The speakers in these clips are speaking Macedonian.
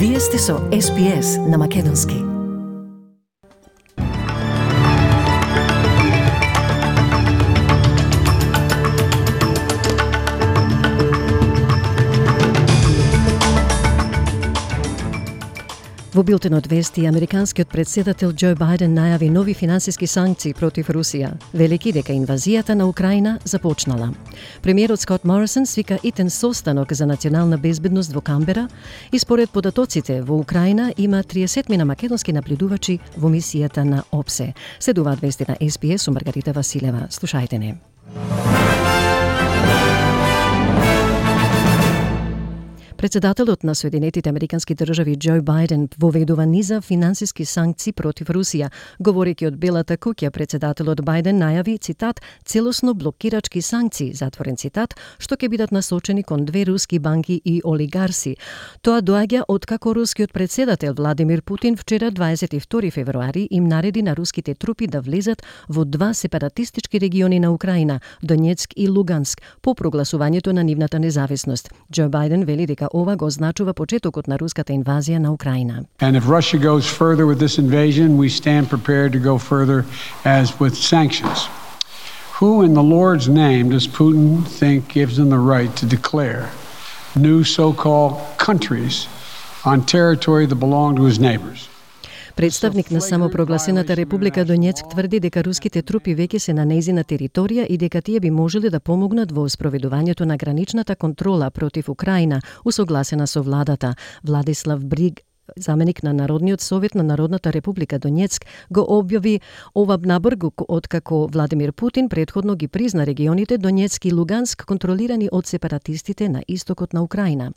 Вие сте со SPS на Македонски. Во билтенот вести, американскиот председател Џо Бајден најави нови финансиски санкции против Русија, велики дека инвазијата на Украина започнала. Премиерот Скот Морисон свика итен состанок за национална безбедност во Камбера и според податоците во Украина има 30 македонски наблюдувачи во мисијата на ОПСЕ. Следуваат вести на SPS со Маргарита Василева. Слушајте не. Председателот на Соединетите Американски држави Џо Бајден воведува низа финансиски санкции против Русија. Говорејќи од Белата куќа, председателот Бајден најави, цитат, целосно блокирачки санкции, затворен цитат, што ќе бидат насочени кон 2 руски банки и олигарси. Тоа доаѓа откако рускиот председател Владимир Путин вчера 22 февруари им нареди на руските трупи да влезат во 2 сепаратистички региони на Украина, Донецк и Луганск, по прогласувањето на нивната независност. Џо Бајден вели дека ова го означува почетокот на руската инвазија на Украина. And if Russia goes further with this invasion, we stand prepared to go further as with sanctions. Who in the Lord's name does Putin think gives him the right to declare new so-called countries on territory that belong to his neighbors? Представник на самопрогласената Република Донецк тврди дека руските трупи веќе се на нејзина територија и дека тие би можеле да помогнат во спроведувањето на граничната контрола против Украина, усогласена со владата. Владислав Бриг, заменик на Народниот совет на Народната Република Донецк, го објави ова набргу откако Владимир Путин претходно ги призна регионите Донецк и Луганск контролирани од сепаратистите на истокот на Украина.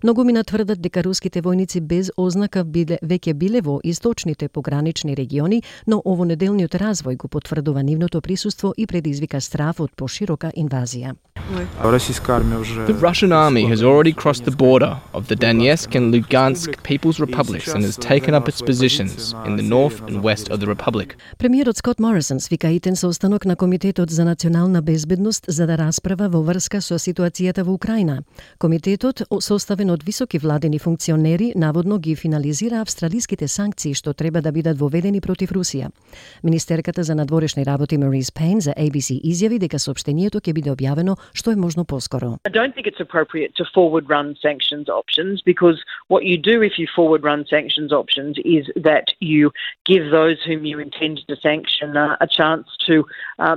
Многумина тврдат дека руските војници без ознака веќе биле во источните погранични региони, но овонеделниот развој го потврдува нивното присуство и предизвика страв од поширока инвазија. The Russian army has already crossed the border of the Donetsk and Lugansk People's Republics and has taken up its positions in the north and west of the republic. Премиерот Скот Морисон свика итен состанок на Комитетот за национална безбедност за да расправа во врска со ситуацијата во Украина. Комитетот, составен од високи владени функционери, наводно ги финализира австралиските санкции што треба да бидат воведени против Русија. Министерката за надворешни работи Марис Пейн за ABC изјави дека соопштението ќе биде објавено што е можно поскоро. I don't think it's appropriate to forward run sanctions options because what you do if you forward run sanctions options is that you give those whom you intend to sanction a chance to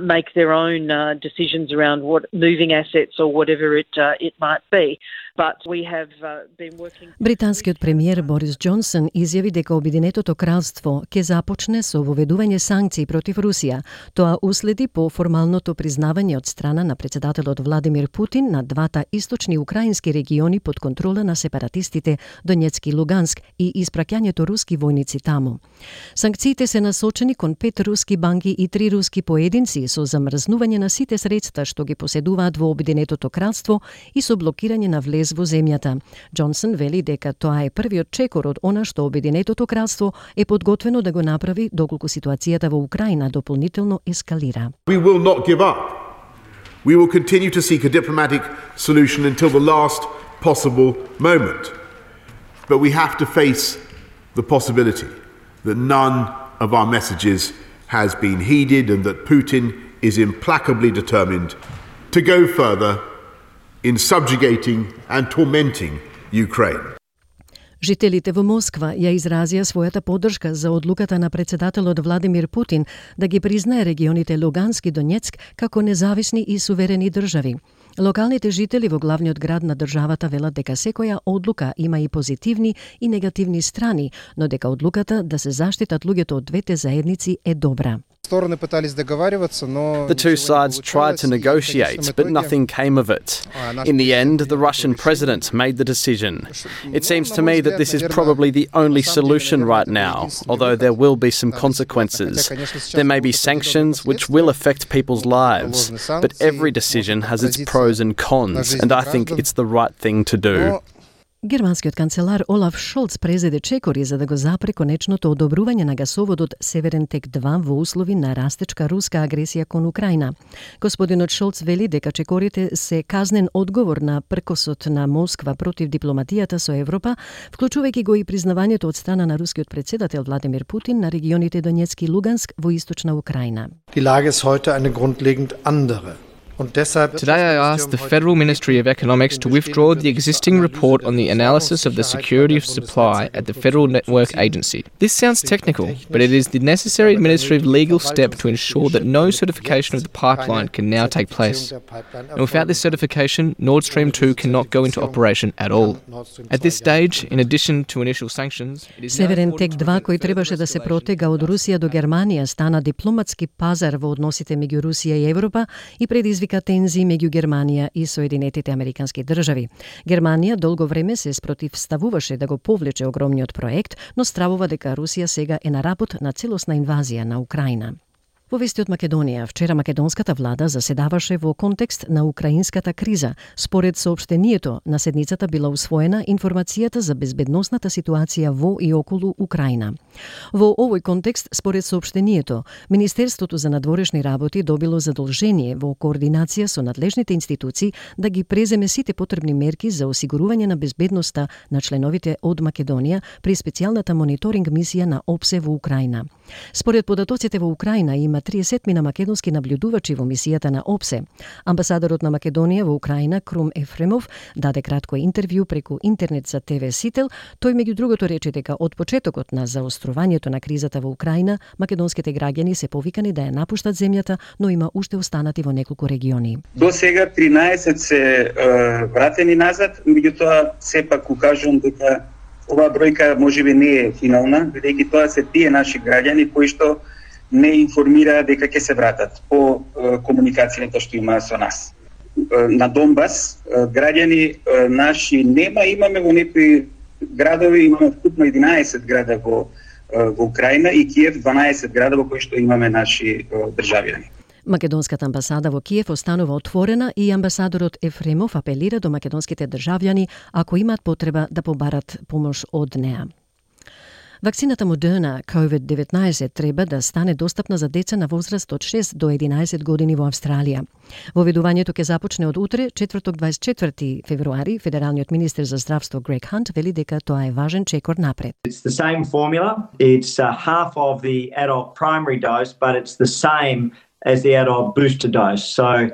make their own decisions around what moving assets or whatever it might be. But we have been working. Британскиот премиер Борис Џонсон изјави дека Обединетото кралство ќе започне со воведување санкции против Русија. Тоа уследи по формалното признавање од страна на председателот Владимир Путин на 2 источни украински региони под контрола на сепаратистите Донецк и Луганск и испраќањето руски војници таму. Санкциите се насочени кон 5 руски банки и 3 руски поединци со замрзнување на сите средства што ги поседуваат во Обединетото кралство и со блокирање на влез во земјата. Џонсон вели дека тоа е првиот чекор од она што Обединетото кралство е подготвено да го направи доколку ситуацијата во Украина дополнително ескалира. We will not give up. We will continue to seek a diplomatic solution until the last possible moment. But we have to face the possibility that none of our messages has been heeded and that Putin is implacably determined to go further in subjugating and tormenting Ukraine. Жителите во Москва ја изразија својата поддршка за одлуката на председателот Владимир Путин да ги признае регионите Луганск и Донецк како независни и суверени држави. Локалните жители во главниот град на државата велат дека секоја одлука има и позитивни и негативни страни, но дека одлуката да се заштитат луѓето од двете заедници е добра. The two sides tried to negotiate, but nothing came of it. In the end, the Russian president made the decision. It seems to me that this is probably the only solution right now, although there will be some consequences. There may be sanctions which will affect people's lives, but every decision has its pros and cons, and I think it's the right thing to do. Германскиот канцелар Олаф Шолц презеде чекори за да го запре конечното одобрување на гасоводот Северен тек 2 во услови на растечка руска агресија кон Украина. Господинот Шолц вели дека чекорите се казнен одговор на пркосот на Москва против дипломатијата со Европа, вклучувајќи го и признавањето од страна на рускиот председател Владимир Путин на регионите Донецк и Луганск во источна Украина. Die Lage ist heute eine grundlegend andere. Today I asked the Federal Ministry of Economics to withdraw the existing report on the analysis of the security of supply at the Federal Network Agency. This sounds technical, but it is the necessary administrative legal step to ensure that no certification of the pipeline can now take place. And without this certification, Nord Stream 2 cannot go into operation at all. At this stage, in addition to initial sanctions, it is Северен тек 2, кој требаше да се протега од Русија до Германија, стана дипломатски пазар во односите меѓу Русија и Европа и предизвика тензии меѓу Германија и Соединетите Американски држави. Германија долго време се спротивставуваше да го повлече огромниот проект, но стравува дека Русија сега е на работ на целосна инвазија на Украина. Во вести од Македонија, вчера македонската влада заседаваше во контекст на украинската криза. Според соопштението, на седницата била усвоена информацијата за безбедносната ситуација во и околу Украина. Во овој контекст, според соопштението, Министерството за надворешни работи добило задолжение во координација со надлежните институции да ги преземе сите потребни мерки за осигурување на безбедноста на членовите од Македонија при специјалната мониторинг мисија на ОПСЕ во Украина. Според податоците во Украина има 30 македонски наблюдувачи во мисијата на ОПСЕ. Амбасадорот на Македонија во Украина Крум Ефремов даде кратко интервју преку интернет за ТВ Сител. Тој меѓу другото рече дека од почетокот на заострувањето на кризата во Украина, македонските граѓани се повикани да ја напуштат земјата, но има уште останати во неколку региони. До сега 13 се вратени назад, меѓутоа сепак укажувам дека оваа бројка можеби не е финална, бидејќи тоа се тие наши граѓани кои што не информира дека ќе се вратат по комуникацијата што има со нас. На Донбас граѓани наши имаме во некои градови, имаме вкупно 11 града во Украина и Киев 12 града во кои што имаме наши државјани. Македонската амбасада во Киев останува отворена и амбасадорот Ефремов апелира до македонските државјани ако имаат потреба да побарат помош од неа. Вакцината Moderna COVID-19 треба да стане достапна за деца на возраст од 6 до 11 години во Австралија. Воведувањето ќе започне од утре, четврток 24 февруари. Федералниот министер за здравство Грег Хант вели дека тоа е важен чекор напред. It's the same formula. It's half of the adult primary dose, but it's the same as the adult booster dose. So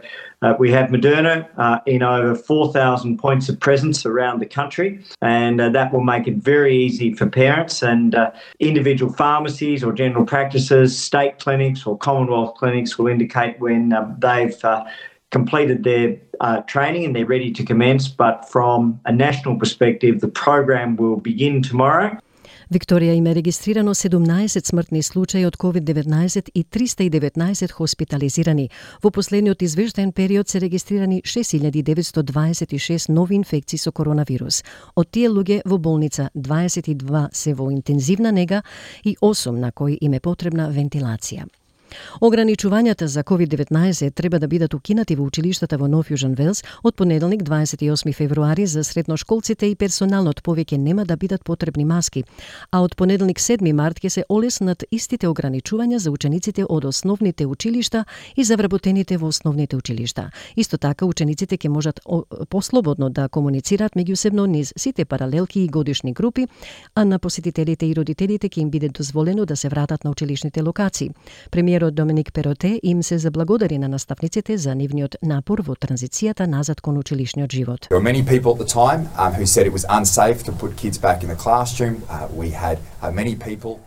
we have Moderna in over 4,000 points of presence around the country, and that will make it very easy for parents and individual pharmacies or general practices, state clinics or Commonwealth clinics will indicate when they've completed their training and they're ready to commence. But from a national perspective, the program will begin tomorrow. Викторија има регистрирано 17 смртни случаи од COVID-19 и 319 хоспитализирани. Во последниот извештаен период се регистрирани 6926 нови инфекции со коронавирус. Од тие луѓе во болница 22 се во интензивна нега и 8 на кои им е потребна вентилација. Ограничувањата за COVID-19 треба да бидат укинати во училиштата во Нов Јужен Велс од понеделник 28 февруари за средношколците и персоналот повеќе нема да бидат потребни маски, а од понеделник 7 март ќе се олеснат истите ограничувања за учениците од основните училишта и за вработените во основните училишта. Исто така учениците ќе можат послободно да комуницираат меѓусебно низ сите паралелки и годишни групи, а на посетителите и родителите ќе им биде дозволено да се вратат на училишните локации. Премиерот Доминик Пероте им се заблагодари на наставниците за нивниот напор во транзицијата назад кон училишниот живот. There were many people at the time who said it was unsafe to put kids back in the classroom. We had many people.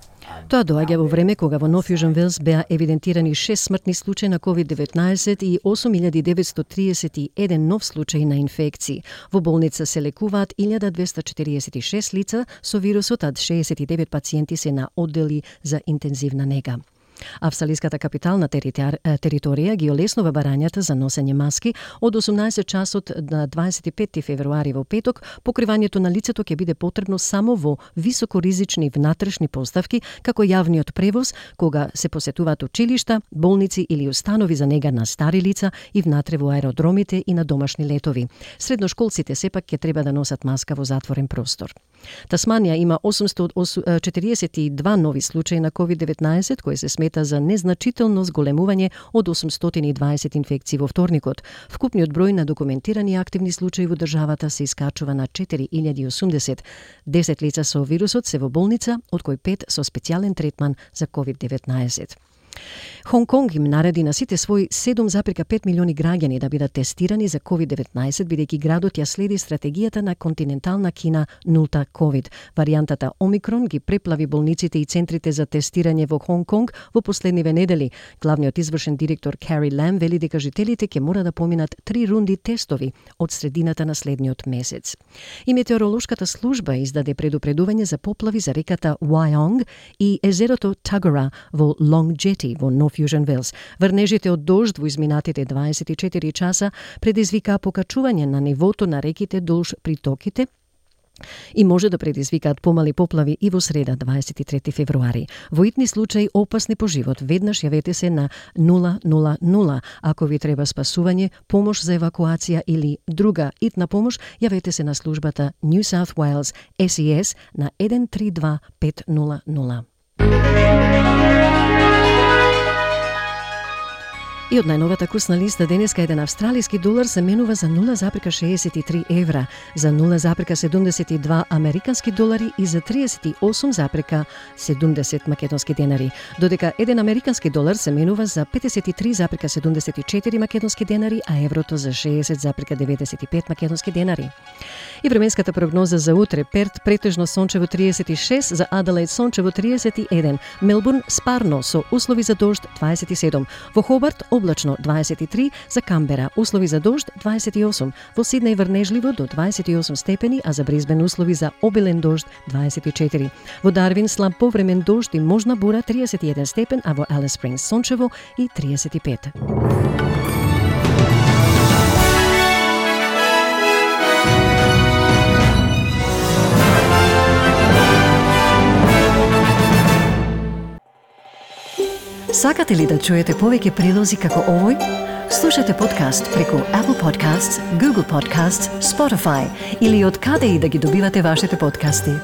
Тоа доаѓа во време кога во Нов Јужен Велс беа евидентирани 6 смртни случаи на COVID-19 и 8931 нов случаи на инфекции. Во болница се лекуваат 1246 лица со вирусот, а 69 пациенти се на оддели за интензивна нега. Австралиската капитална територија ги олеснува барањата за носење маски од 18 часот на 25 февруари во петок. Покривањето на лицето ќе биде потребно само во високоризични внатрешни поставки, како јавниот превоз, кога се посетуваат училишта, болници или установи за нега на стари лица и внатре во аеродромите и на домашни летови. Средношколците сепак ќе треба да носат маска во затворен простор. Тасманија има 842 нови случаи на COVID-19, кои се смета за незначително зголемување од 820 инфекции во вторникот. Вкупниот број на документирани активни случаи во државата се искачува на 4080. 10 лица со вирусот се во болница, од кои 5 со специјален третман за COVID-19. Хонг Конг им нареди на сите своји 7,5 милиони граѓани да бидат тестирани за COVID-19, бидејќи градот ја следи стратегијата на континентална Кина нулта COVID. Варијантата Омикрон ги преплави болниците и центрите за тестирање во Хонг Конг во последниве недели. Главниот извршен директор Кари Лам вели дека жителите ќе мора да поминат 3 рунди тестови од средината на следниот месец. И метеоролошката служба издаде предупредување за поплави за реката Wyong и езерото Tuggerah во Long Jetty во North Fusion Wells. Врнежите од дожд во изминатите 24 часа предизвикаа покачување на нивото на реките долж притоките и може да предизвикаат помали поплави и во среда 23 февруари. Во итни случаи опасни по живот, веднаш јавете се на 000. Ако ви треба спасување, помош за евакуација или друга итна помош, јавете се на службата New South Wales SES на 132500. И од најновата курсна листа денеска еден австралиски долар се менува за 0,63 евра, за 0,72 американски долари и за 38,70 македонски денари, додека еден американски долар се менува за 53,74 македонски денари, а еврото за 60,95 македонски денари. И временската прогноза за утре: Перт претежно сончево 36, за Аделаид сончево 31, Мелбурн спарно со услови за дожд 27, во Хобарт облачно 23, за Камбера услови за дожд 28, во Сиднеј врнежливо до 28 степени, а за Брисбен услови за обилен дожд 24. Во Дарвин слаб повремен дожд и можна бура 31 степен, а во Алис Спрингс сончево и 35. Сакате ли да чуете повеќе прилози како овој? Слушате подкаст преку Apple Podcasts, Google Podcasts, Spotify или од каде и да ги добивате вашите подкасти.